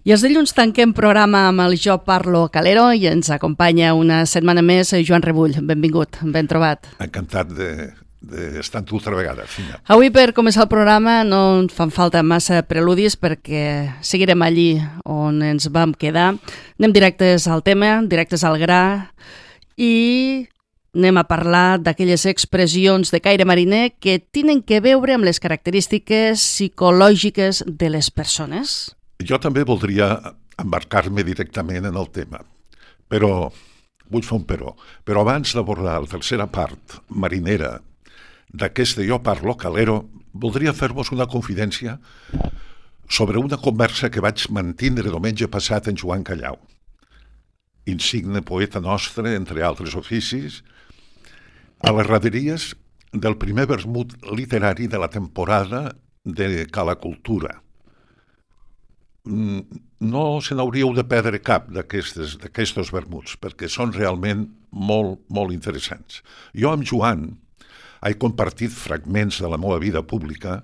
I els dilluns tanquem programa amb el Jo Parlo Calero i ens acompanya una setmana més Joan Rebull. Benvingut, ben trobat. Encantat d'estar amb tu altra vegada, Fina. Avui, per començar el programa, no ens fan falta massa preludis perquè seguirem allí on ens vam quedar. Anem directes al tema, directes al gra i anem a parlar d'aquelles expressions de caire mariner que tenen que veure amb les característiques psicològiques de les persones. Jo també voldria embarcar-me directament en el tema, però vull fer un però. Però abans d'abordar la tercera part marinera d'aquest Jo Parlo Calero, voldria fer-vos una confidència sobre una conversa que vaig mantindre diumenge passat en Joan Callau, insigne poeta nostre, entre altres oficis, a les graderies del primer vermut literari de la temporada de Cala Cultura. No se n'hauríeu de perdre cap d'aquests vermuts, perquè són realment molt, molt interessants. Jo amb Joan he compartit fragments de la meva vida pública,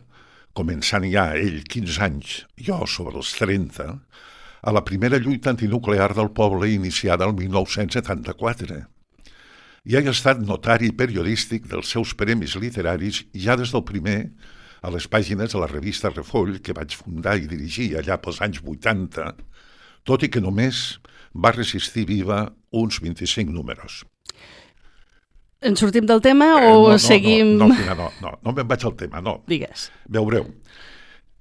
començant ja ell 15 anys, jo sobre els 30, a la primera lluita antinuclear del poble iniciada el 1974. I he estat notari periodístic dels seus premis literaris ja des del primer a les pàgines de la revista Refoll, que vaig fundar i dirigir allà pels anys 80, tot i que només va resistir viva uns 25 números. En sortim del tema o seguim... No me'n vaig al tema, no. Digues. Veureu,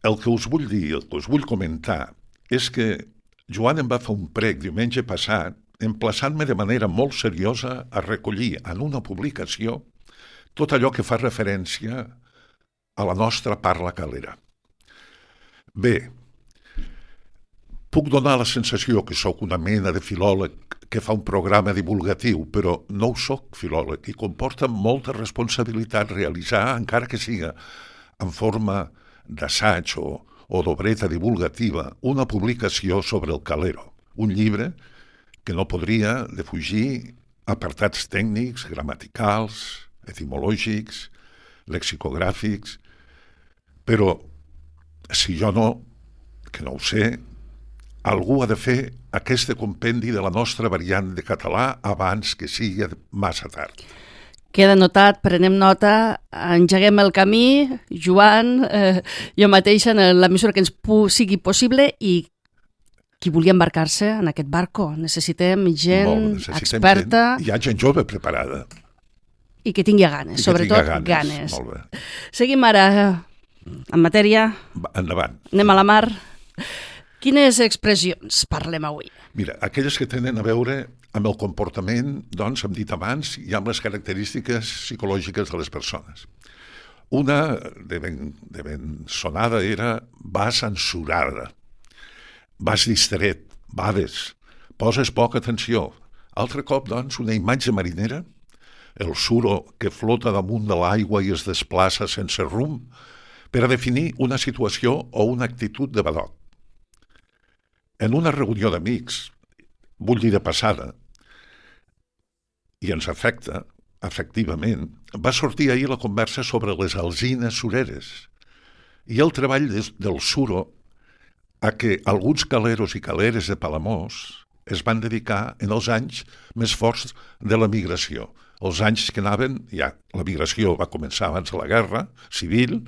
el que us vull dir, el que us vull comentar, és que Joan em va fer un prec diumenge passat, emplaçant-me de manera molt seriosa a recollir en una publicació tot allò que fa referència a la nostra parla calera. Bé, puc donar la sensació que sóc una mena de filòleg que fa un programa divulgatiu, però no ho sóc filòleg i comporta molta responsabilitat realitzar, encara que siga en forma d'assaig o d'obreta divulgativa, una publicació sobre el calero, un llibre que no podria defugir apartats tècnics, gramaticals, etimològics, lexicogràfics, però si jo no, que no ho sé, algú ha de fer aquest compendi de la nostra variant de català abans que sigui massa tard. Queda notat, prenem nota, engeguem el camí, Joan, jo mateixa, en la mesura que ens sigui possible, i qui vulgui embarcar-se en aquest barco. Necessitem gent experta. Hi ha gent jove preparada. I que tingui ganes, sobretot ganes. Molt bé. Seguim ara en matèria. Endavant. Anem a la mar. Quines expressions parlem avui? Mira, aquelles que tenen a veure amb el comportament, doncs, hem dit abans, i amb les característiques psicològiques de les persones. Una de ben sonada era vas ensurada, vas distret, bades, poses poca atenció. Altre cop, doncs, una imatge marinera, el suro que flota damunt de l'aigua i es desplaça sense rumb, per a definir una situació o una actitud de badoc. En una reunió d'amics, vull dir de passada, i ens afecta, efectivament, va sortir ahir la conversa sobre les alzines sureres i el treball del suro a què alguns caleros i caleres de Palamós es van dedicar en els anys més forts de la migració. Els anys que anaven, ja la migració va començar abans de la guerra civil,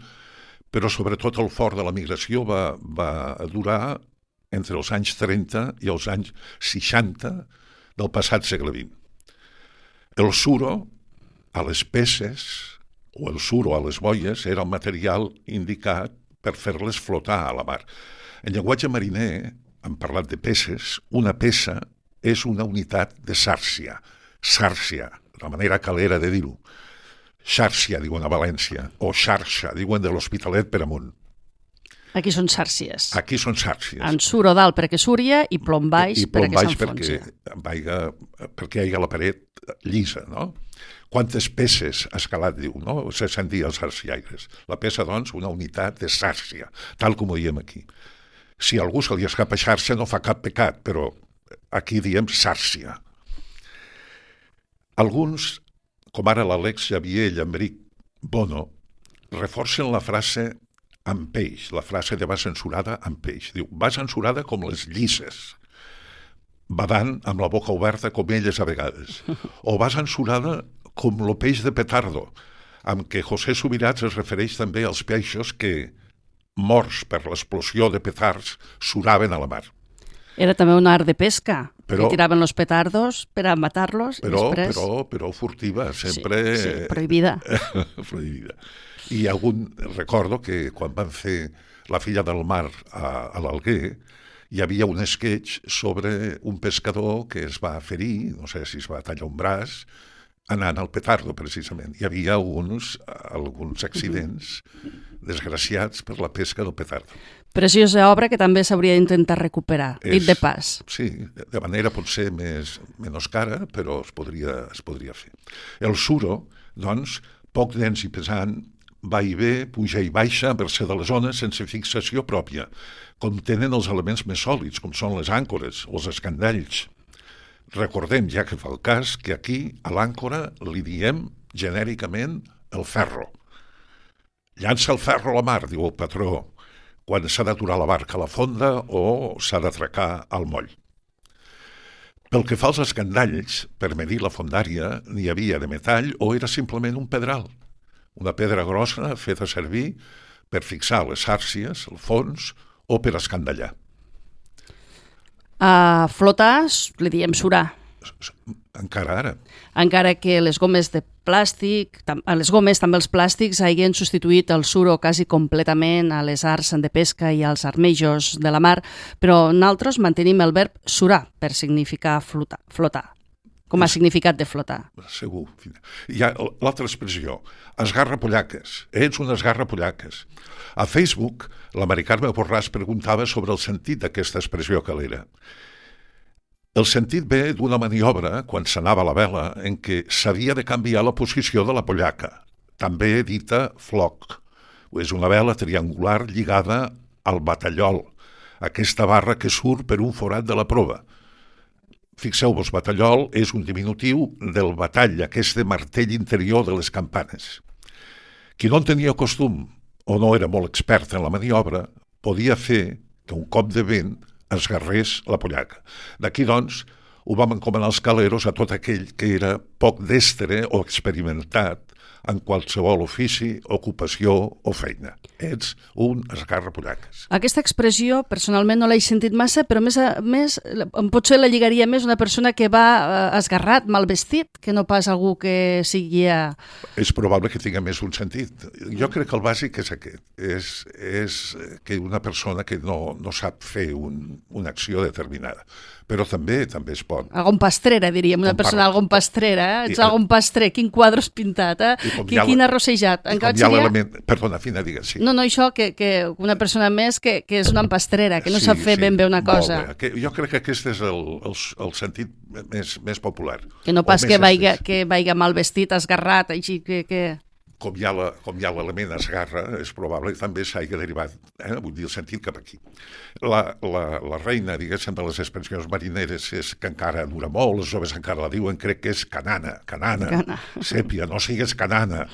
però sobretot el fort de la migració va durar entre els anys 30 i els anys 60 del passat segle XX. El suro a les peces o el suro a les boies era el material indicat per fer-les flotar a la mar. En llenguatge mariner, hem parlat de peces, una peça és una unitat de sàrcia. Sàrcia, la manera calera de dir-ho. Xàrcia, diuen a València, o xarxa, diuen de l'Hospitalet per amunt. Aquí són sàrcies. Aquí són sàrcies. En suro dalt perquè súria i plom baix perquè s'enfonsa. Perquè hi ha la paret llisa, no? Quantes peces has calat, diu, no? Se sentia els sàrciaires. La peça, doncs, una unitat de sàrcia, tal com ho diem aquí. Si a algú se li escapa xarxa no fa cap pecat, però aquí diem sàrcia. Alguns, com ara l'Àlex Xavier Llambric Bono, reforcen la frase amb peix. La frase de va censurada amb peix. Diu, va censurada com les llisses, badant amb la boca oberta com elles a vegades. O va censurada com lo peix de petardo, amb què José Subirats es refereix també als peixos que, morts per l'explosió de petards, suraven a la mar. Era també un art de pesca, que tiraven los petardos per a matar-los. Però furtiva, sempre... Sí, prohibida. Prohibida. I recordo que quan van fer La filla del mar a l'Alguer, hi havia un sketch sobre un pescador que es va ferir, no sé si es va tallar un braç, anant al petardo, precisament. Hi havia alguns accidents desgraciats per la pesca del petardo. Preciosa obra que també s'hauria d'intentar recuperar, dit de pas. Sí, de manera potser menys cara, però es podria fer. El suro, doncs, poc dens i pesant, va i ve, puja i baixa, a mercè de les ones, sense fixació pròpia. Contenen els elements més sòlids, com són les àncores o els escandalls. Recordem, ja que fa el cas, que aquí a l'àncora li diem genèricament el ferro. Llança el ferro a la mar, diu el patró, quan s'ha d'aturar la barca a la fonda o s'ha d'atracar al moll. Pel que fa als escandalls, per medir la fondària, n'hi havia de metall o era simplement un pedral, una pedra grossa feta servir per fixar les xàrcies, el fons o per escandallar. A flotar li diem surar. Encara ara. Encara que les gomes de plàstic, les gomes, també els plàstics, hagin substituït el suro quasi completament a les arts de pesca i als armejos de la mar, però nosaltres mantenim el verb surar per significar flotar, com a significat de flotar. Segur. Hi ha l'altra expressió, esgarrapollaques. Ets un esgarrapollaques. A Facebook, la Mari Carme Borràs preguntava sobre el sentit d'aquesta expressió calera. El sentit ve d'una maniobra, quan s'anava a la vela, en què s'havia de canviar la posició de la pollaca, també dita floc. És una vela triangular lligada al batallol, aquesta barra que surt per un forat de la prova. Fixeu-vos, batallol és un diminutiu del batall, aquest martell interior de les campanes. Qui no en tenia costum o no era molt expert en la maniobra, podia fer que un cop de vent esgarrés la pollaca. D'aquí, doncs, ho vam encomanar els caleros a tot aquell que era poc destre o experimentat en qualsevol ofici, ocupació o feina. Ets un esgarrapollaques. Aquesta expressió, personalment, no l'he sentit massa, però més potser la lligaria més una persona que va esgarrat, mal vestit, que no pas algú que sigui... És probable que tinga més un sentit. Jo crec que el bàsic és aquest. És que una persona que no sap fer una acció determinada. Però també es pot. Algun pastrera, diríem, una persona algun pastrera. Ets algun pastrer, quin quadre has pintat, quin arrossejat. Perdona, Fina, digues, sí. No, això, que una persona més que és una empastrera, que no sap fer ben bé una cosa. Jo crec que aquest és el sentit més popular. Que no pas que vaiga mal vestit, esgarrat, així que... Com hi ha l'element esgarra, és probable que també s'hagi derivat, vull dir, el sentit cap aquí. La reina, diguéssim, de les expressions marineres és que encara dura molt, els joves encara la diuen, crec que és canana, sèpia, no sigues canana.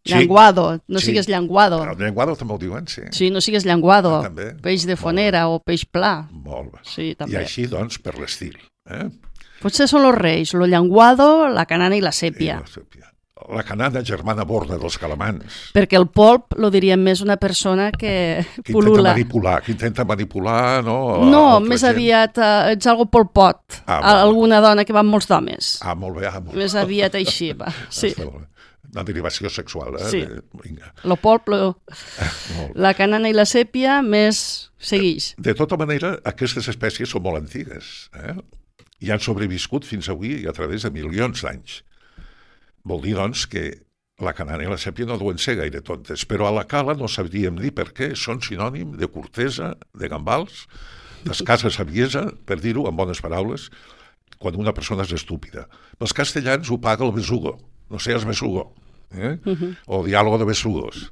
Llenguado, no sigues llenguado. Llenguado també ho diuen, sí. Sí, no sigues llenguado, peix de fonera o peix pla. Molt bé. Sí, també. I així, doncs, per l'estil. Potser són los reis, lo llenguado, la canana i la sèpia. La canana germana borda dels calamans. Perquè el polp lo diríem més una persona que pul·lula. Que intenta manipular, no? No, més aviat ets algo polpot. Alguna dona que va amb molts d'homes. Molt bé. Més aviat així, va. Sí. Una derivació sexual, Sí. Lo polp, la canana i la sèpia més seguix. De tota manera, aquestes espècies són molt antigues. I han sobreviscut fins avui a través de milions d'anys. Vol dir, doncs, que la canana i la sèpia no deuen ser gaire tontes, però a la cala no sabríem dir per què són sinònim de cortesa, de gambals, d'escassa saviesa, per dir-ho en bones paraules, quan una persona és estúpida. Els castellans ho paga el besugo, no seas besugo, o diàlogo de besugos.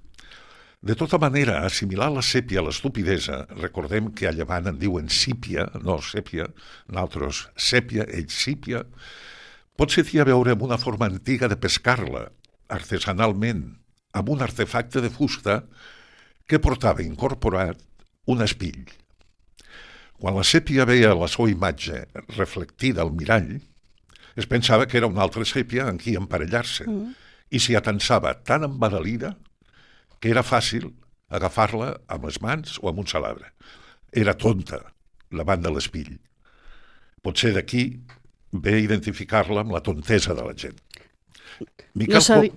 De tota manera, assimilar la sèpia a l'estupidesa, recordem que a Llevant en diuen sípia, no sèpia, nosaltres sèpia, ells sípia, potser té a veure amb una forma antiga de pescar-la, artesanalment, amb un artefacte de fusta que portava incorporat un espill. Quan la sèpia veia la seva imatge reflectida al mirall, es pensava que era una altra sèpia en qui emparellar-se i s'hi atensava tan embadalida que era fàcil agafar-la amb les mans o amb un salabre. Era tonta davant de l'espill. Potser d'aquí ve identificar-la amb la tontesa de la gent.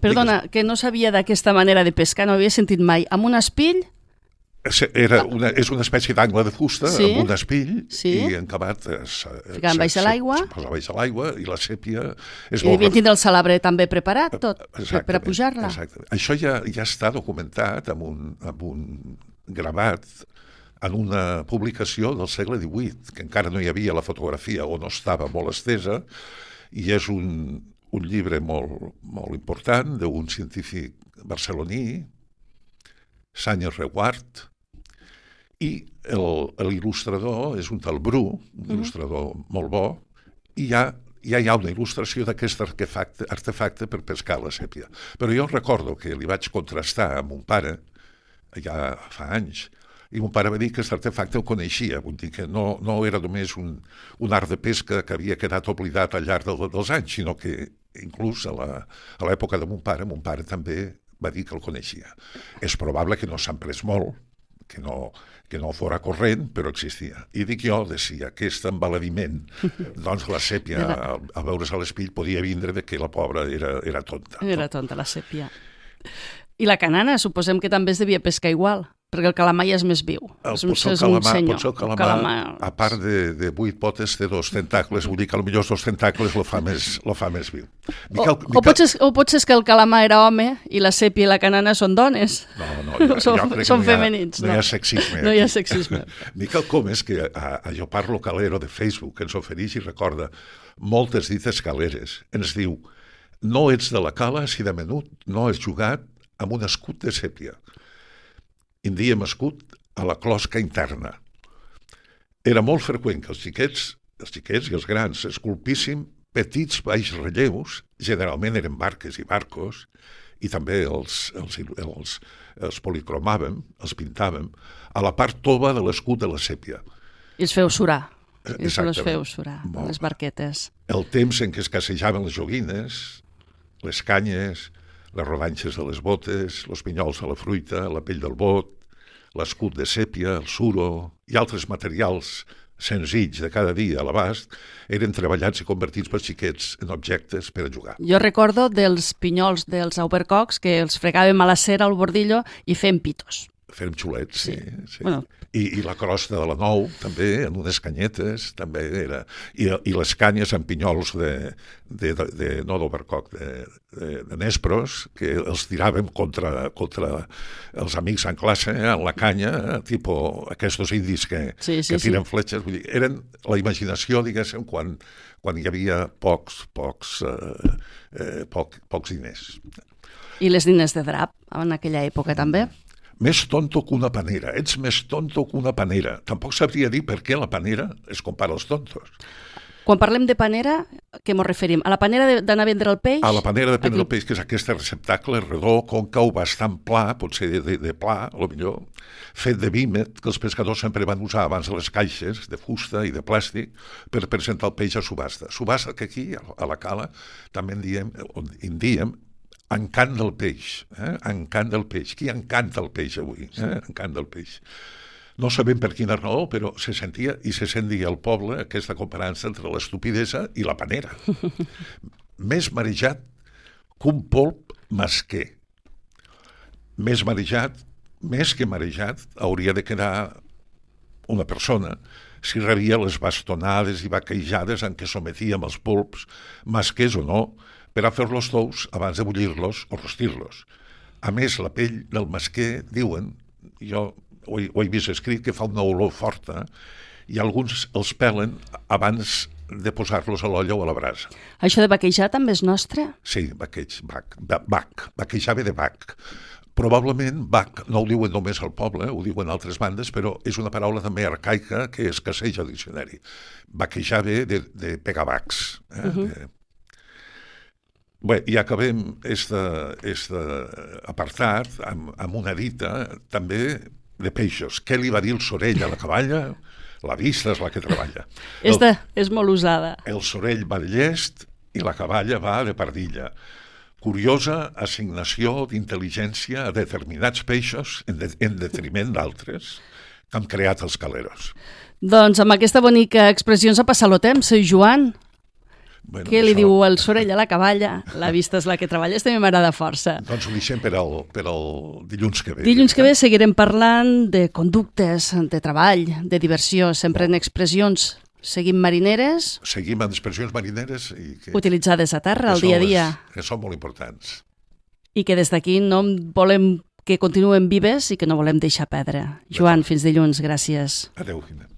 Perdona, que no sabia d'aquesta manera de pescar, no havia sentit mai. Amb un espill? És una espècie d'angle de fusta amb un espill i encabat ficant baix a l'aigua. Se posa baix a l'aigua i la sèpia és molt... I devien tindre el salabre també preparat tot per a pujar-la. Exacte. Això ja està documentat amb un gravat en una publicació del segle XVIII, que encara no hi havia la fotografia o no estava molt estesa, i és un llibre molt important d'un científic barceloní, Sánchez Reguart, i l'il·lustrador és un tal Bru, un il·lustrador molt bo, i ja hi ha una il·lustració d'aquest artefacte per pescar la sèpia. Però jo recordo que li vaig contrastar amb mon pare, ja fa anys, i mon pare va dir que aquest artefacte el coneixia, vull dir que no era només un art de pesca que havia quedat oblidat al llarg dels anys, sinó que inclús a l'època de mon pare també va dir que el coneixia. És probable que no s'han pres molt, que no fora corrent, però existia. I dic jo si aquest embaladiment, doncs la sèpia, a veure's a l'espill, podia vindre de que la pobra era tonta. Era tonta, la sèpia. I la canana, suposem que també es devia pescar igual, perquè el calamar ja és més viu. Potser el calamar, a part de 8 potes, té 2 tentacles, vull dir que potser 2 tentacles lo fa més viu. O potser és que el calamar era home i la sèpia i la canana són dones. No, són femenins. No hi ha sexisme. No hi ha sexisme. Miquel Comes, que a Lloparlo Calero de Facebook ens ofereix i recorda moltes dites caleres, ens diu: no ets de la cala si de menut no has jugat amb un escut de sèpia. En diem escut a la closca interna. Era molt freqüent que els xiquets i els grans esculpissin petits baix relleus, generalment eren barques i barcos, i també els policromàvem, els pintàvem, a la part tova de l'escut de la sèpia. I els feu surar. Els feu surar, les barquetes. El temps en què escassejaven les joguines, les canyes, les rodanxes de les botes, els pinyols de la fruita, la pell del bot, l'escut de sèpia, el suro i altres materials senzills de cada dia a l'abast eren treballats i convertits per xiquets en objectes per a jugar. Jo recordo dels pinyols dels aubercocs que els fregàvem a la cera al bordillo i fèiem pitos. Fèiem xulets, sí. Bueno. I la crosta de la nou, també, en unes canyetes, també era... I les canyes amb pinyols no d'overcoc, de nespros, que els tiràvem contra els amics en classe, en la canya, tipus aquests indis que tiren fletxes. Vull dir, eren la imaginació, diguéssim, quan hi havia pocs diners. I les diners de drap, en aquella època també? Més tonto que una panera. Ets més tonto que una panera. Tampoc sabria dir per què la panera es compara als tontos. Quan parlem de panera, què ens referim? A la panera d'anar a vendre el peix? A la panera de prendre el peix, que és aquest receptacle redó, còncau, bastant pla, potser de pla, a lo millor, fet de vímet, que els pescadors sempre van usar abans de les caixes de fusta i de plàstic per presentar el peix a subhasta. Subhasta que aquí, a la cala, també en diem encant del peix, encant del peix. Qui encanta el peix avui? Encant del peix. No sabem per quina raó, però se sentia i se sentia al poble aquesta comparança entre l'estupidesa i la panera. Més marejat que un polp masquer. Més que marejat, hauria de quedar una persona si rebia les bastonades i vaquejades en què sometíem els polps, masquers o no, per a fer-los tous abans de bullir-los o rostir-los. A més, la pell del masquer, diuen, jo ho he vist escrit, que fa una olor forta i alguns els pelen abans de posar-los a l'olla o a la brasa. Això de vaquejar també és nostre? Sí, vaquejar ve de bac. Probablement bac no ho diuen només al poble, ho diuen altres bandes, però és una paraula també arcaica que escasseja al diccionari. Vaquejar ve de pegar bacs. Bé, i acabem este apartat amb una dita també de peixos. Què li va dir el sorell a la caballa? La vista és la que treballa. Esta és molt usada. El sorell va de llest i la caballa va de pardilla. Curiosa assignació d'intel·ligència a determinats peixos en detriment d'altres que han creat els caleros. Doncs amb aquesta bonica expressió ens ha passat el temps. Joan, Bueno, què li diu el sorell a la caballa? La vista és la que treballa. Aquesta m'agrada força. Doncs ho deixem per al dilluns que ve. Dilluns que ve seguirem parlant de conductes, de treball, de diversió, sempre en expressions. Seguim marineres. Seguim amb expressions marineres utilitzades a terra, al dia a dia. Que són molt importants. I que des d'aquí no volem que continuen vives i que no volem deixar perdre. Joan, fins dilluns. Gràcies. Adéu, Gina.